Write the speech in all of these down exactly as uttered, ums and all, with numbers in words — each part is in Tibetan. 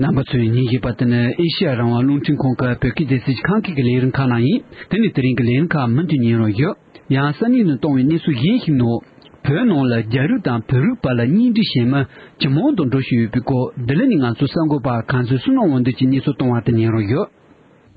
རྣམ་པ་ཚོས་ཉན་བཞིན་པ་དེ་ནི་ཨེ་ཤེ་ཡ་རང་དབང་རླུང་འཕྲིན་ཁང་གི་བོད་སྐད་སྡེ་ཚན་གྱི་ཁམས་སྐད་ཀྱི་ལས་རིམ་ཁག་ནང་ཡིན། དེ་ནི་དེ་རིང་གི་ལས་རིམ་ཁག་མུ་མཐུད་ཉན་རོགས་ཡོད། ཡང་ས་གནས་ནས་གཏོང་བའི་གནས་ཚུལ་གཞན་ཞིག་ནང་། བོད་ནང་ལ་རྒྱ་རིགས་དང་བོད་རིགས་བར་ལ་གཉེན་སྒྲིག་བྱེད་མི་ཇེ་མང་དུ་འགྲོ་བཞིན་ཡོད་པའི་སྐོར། འདི་ལ་ནི་ང་ཚོའི་གསར་འགོད་པ་གངས་འཛིན་བསོད་ནམས་དབང་འདུས་ཀྱིས་གནས་ཚུལ་བཏང་བ་དེ་ཉན་རོགས་ཡོད།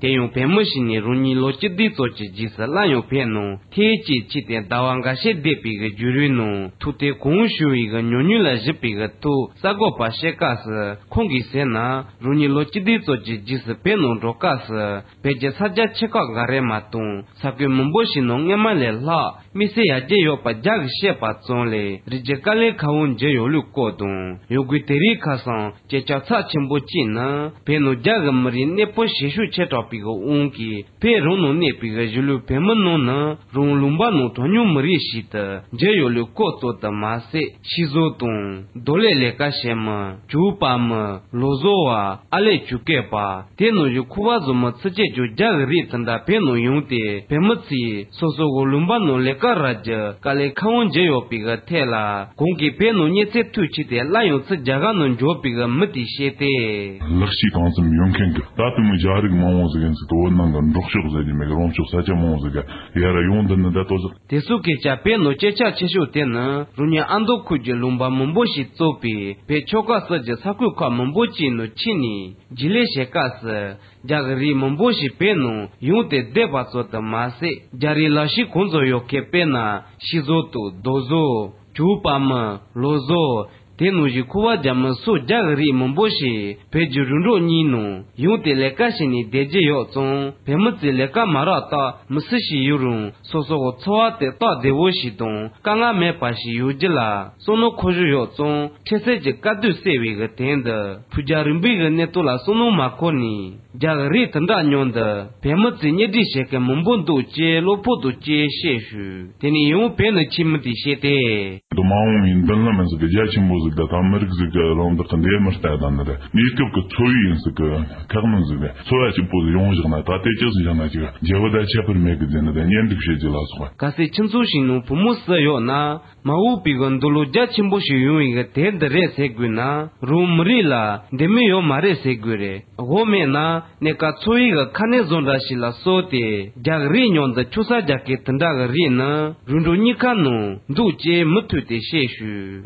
དེ་ཡང་བོད་མི་ཞིག་ནས་རང་ཉིད་ལོ་བཅུ་བདུན་ཙམ་གྱི་རྗེས་སུ་སླར་ཡང་བོད་ནང་ཐེངས་གཅིག་ཕྱིན་ཏེ་ཟླ་བ་འགའ་ཤས་བསྡད་པའི་གི་བརྒྱུད་རིམ་ནང་ཐུག་འཕྲད་གང་བྱུང་བའི་གི་ཉམས་མྱོང་ལ་གཞིགས་པའི་གི་ཐོག་གསར་འགོད་པ་བཤད་སྐབས་སུ། ཁོང་གིས་ཟེར་ན། རང་ཉིད་ལོ་བཅུ་བདུན་ཙམ་གྱི་རྗེས་སུ་བོད་ནང་འགྲོ་སྐབས་སུ། བོད་ཀྱི་ས་ཆ་ཆེ་ཁག་འགའ་རེ་མ་གཏོགས་ས་ཁུལ་མང་པོ་ཞིག་ནང་སྔོན་མ་ལས་ལྷག་དམིགས་བསལ་ཡར་རྒྱས་ཡོད་པ་རྒྱ་གིས་བཤད་པ་ཙམ་ལས་རིགས་རྒྱུད་དཀའ་ལས་ཁག་པོ་འགྱུར་ཡོད་ལུགས་སྐོར་དང་། ཡང་སྒོས་དེ་རིང་ཁ་སང་སྐད་ཆ་ཚབས་ཆེན་པོ་གཅིག་ནི། བོད་ནང་རྒྱ་གི་མི་རིགས་གནས་སྤོ་བྱེད་ཤུགས་ཆེ་དྲགས་པའི་གི་དབང་གིས་བོད་རང་ནང་གནས་པའི་གི་གཞིས་ལུས་བོད་མི་རྣམས་ནི་རང་ལུང་པ་ནང་གྲངས་ཉུང་མི་རིགས་ཤིག་ཏུ་གྱུར་ཡོད་ལུགས་སྐོར་ཙམ་དུ་མ་ཟད། ཤིང་བཟོ་དང་རྡོ་ལས་ལས་ཀ་བྱེད་མི། གྱོགས་པ་མི། ལོ་བཟོ་བ། ཨ་ལས་ཆུ་རྐོས་པ། དེ་ནང་བཞིན་ཁུ་བ་བཟོ་མི་ཚུན་ཆད་ཀྱང་རྒྱ་གི་རིགས་དེ་འདྲ་བོད་ནང་ཡོང་སྟེ་བོད་མི་ཚོས་སོ་སོ་གི་ལུང་པ་ནང་ལས་ཀ་རག་རྒྱུ་དཀའ་ལས་ཁག་པོ་འགྱུར་ཡོད་པའི་གི་ཐད་ལ། གོང་གི་བོད་ནང་གནས་ཚུལ་ཐོན་ཕྱིན་ཏེ་སླར་ཡང་ཚུར་རྒྱ་གར་ནང་འབྱོར་པའི་གི་མི་དེས་བཤད་དེ། ལག་ཤེས་གང་འཚམ་ཡོད་མཁན་གྱི་ད་དུང་རྒྱ་རིགས་མང་བོ་ཟིག་ཡིན་ཟིག་དེ་བོད་ནང་གི་འབྲོག་ཕྱོགས་ཟེར་རྒྱུ་མེད་གི་རོང་ཕྱོགས་ས་ཆ་མང་བོ་ཟིག་ག་ཡར་ཡོང་འདི་ནི་ད་ལྟོ་ཟིག་དེ་ཚོ་གི་ཆ་བོད་ནང་སྐད་ཆ་ཆེ་ཤོས་དེ་ནི་རང་ཉིད་ཨ་མདོ་ཁུལ་གྱི་ལུང་པ་མང་པོ་ཞིག་གཙོས་པའི་བོད་ཆོལ་ཁ་གསུམ་གྱི་ས་ཁུལ་ཁག་མང་པོ་ཅིག་ནང་ཕྱིན་ནས་རྗེས་ལས་བྱེད་སྐབས་སུ། རྒྱ་གི་རིགས་མང་པོ་ཞིག་བོད་ནང་ཡོང་སྟེ་བསྡད་པ་ཚོ་དུ་མ་ཟད། རྒྱ་རིགས་ལག་ཤེས་གང་ཚོ་ཡོད་མཁན་དཔེར་ན་ཤིང་བཟོ་དང་རྡོ་བཟོ། གྱོགས་པ་མི། ལོ་བཟོ། དེ་ནང་བཞིན་ཁུ་བ་རྒྱག་མི་སོགས་རྒྱ་གི་རིགས་མང་པོ་ཞིག་བོད་ཀྱི་རོང་འབྲོག་གཉིས་ནང་ཡོང་སྟེ་ལས་ཀ་བྱས་ནས་བསྡད་ཀྱི་ཡོད་ཙང་། བོད་མི་ཚོས་ལས་ཀ་མ་རག་སྟབས་མི་སུ་ཞིག་ཡིན་རུང་སོ་སོ་གི་འཚོ་བ་དེ་སྟབས་བདེ་བོ་ཞིག་དང་དཀའ་ངལ་མེད་པ་ཞིག་ཡོང་རྒྱུ་ལ་བསམ་བློ་འཁོར་བཞིན་ཡོད་ཙང་། འཕྲལ་སེལ་གྱི་དཀའ་སྡུག་སེལ་བའི་གི་དོན་དུ་ཕུགས་རྒྱང་རིང་པོའི་གི་གནས་སྟངས་ལ་བསམ་བློ་མ་འཁོར་ནས། རྒྱ་གི་རིགས་དེ་འདྲ་མཉམ་དུ་བོད་མི་ཚོས་གཉེན་སྒྲིག་བྱེད་མཁན་མང་པོ་འདུག་ཅེས་གློ་བུར་དུ་ཅེས་བཤད་ཞུས། དེ་ནས་ཡང་བོད་ནས་ཕྱིན་མི་དེས་བཤད་དེ། དུ་མ་འོངས་པའི་མདུན་ལམ་ཟིག་གི་རྒྱ་ཆེན་པོ་ཟིག་དང་ད་མི་རིགས་ཟིག་གི་རང་བདག་གི་འདེད་མི་ལྟ་དང་ནི་རེད། གནས་སྐབས་ཀྱི་འཚོ་བའི་ཡིན་ཟིག་གི་ཁག་ནི་ཟིག་རེད། འཚོ་བ་གཅིག་པོ་ཟིག་ཡོང་བཞག་ན་ད་ལྟའི་ཅི་ཟིག་བཞག་ན་ཅིག་རྒྱལ་པོ་དང་ཁྱད་པར་མེད་གི་ཟེར་ནི་དང་གཉེན་སྒྲིག་བྱེད་རྒྱུ་ལ་སོགས་པ། གལ་སྲིད་ཁྱིམ་ཚང་ཞིག་ནང་བུ་མོ་བསུ་ཡོད་ན། མ་འོངས་པའི་གི་འདུག་ལོ་རྒྱ་ཆེན་པོ་ཞིག་ཡོང་བའི་གི་དེབ་འདི་རེད་ཟེར་དགོས་ན། རང་མི་རིགས་ལ་འདི་མི་ཡོད་མ་རེད་ཟེར་དགོས་རེད། དབུ་མེད་ན་གནས་སྐབས་འཚོ་བའི་གི་ཁ་གནད་བཟོ་འདྲ་ཞིག་ལ་སོགས་ཏེ་རྒྱ་གི་རིགས་མཉམ་དུ་ཆོ་ས་རྒྱག་མཁན་དེ་འདྲ་གི་རིགས་ནི་རུ་འགྲོ་གཉིས་ཀ་ནང་འདུག་ཅེས་མུ་མཐུད་དེ་བཤད་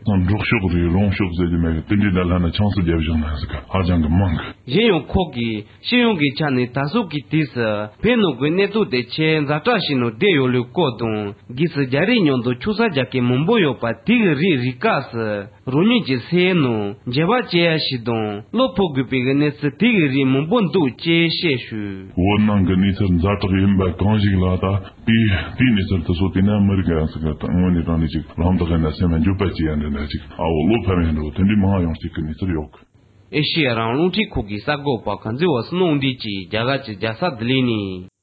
ཞུས། འབྲོག་ཕྱོགས་རེད་རོང་ཕྱོགས་ཟེར་རྒྱུ་མེད་གི་དེ་འདྲའི་ནང་ལྷན་ན་ཆང་སུ་རྒྱབ་བཞག་ན་ཟིག་ག་ཧ་ཅང་གི་མང་གི། གཞན་ཡང་ཁོ་གིས། སྤྱི་ཡོངས་ཀྱི་ཆ་ནས་ད་གཟོད་ཀྱི་དུས་སུ་བོད་ནང་གི་གནས་སྟངས་དེ་ཆེས་ཛ་དྲག་ཞིག་ནང་བསྡད་ཡོད་ལུགས་སྐོར་དང་། སྒོས་སུ་རྒྱ་རིགས་མཉམ་དུ་ཆོ་ས་རྒྱག་མཁན་མང་པོ་ཡོད་པ་དེ་གི་རིགས་རིག་སྐབས་སུ་རང་ཉིད་ཀྱི་སེམས་ནང་འགྱོད་པ་སྐྱེ་ཡ་ཞིག་དང་བློ་ཕམ་དགོས་པའི་གི་གནས་ཚུལ་དེ་གི་རིགས་མང་པོ་འདུག་ཅེས་བཤད་ཞུས། བོད་ནང་གི་གནས་ཚུལ་ཛ་དྲག་ཡིན་པ་གང་ཞིག་ལ་ད་དེའི་དེའི་གནས་ཚུལ་དེ་ཚོ་དེ་ན་མི་རིགས་ཡང་ཟིག་གི་དངོས་གནས་དྲང་གནས་ཅིག་རང་བདག་ཡིན་ན་སེམས་ལ་འགྱོད་པ་སྐྱེ་ཡ་འདྲ་འདྲ་ཅིག་ཨ་བོ་བློ་ཕམ་ཡ་འདྲ་བོ་དེ་འདྲའི་མང་ཡོང་ཅིག་གི་གནས་ཚུལ་ཡོད་གི། ཨེ་ཤེ་ཡ་རང་དབང་རླུང་འཕྲིན་ཁང་གི་གསར་འགོད་པ་གངས་འཛིན་བ་སུ་ནོ་འདི་གྱིས་རྒྱ་གར་གྱི་རྒྱལ་ས་ལྡི་ལི་ནས།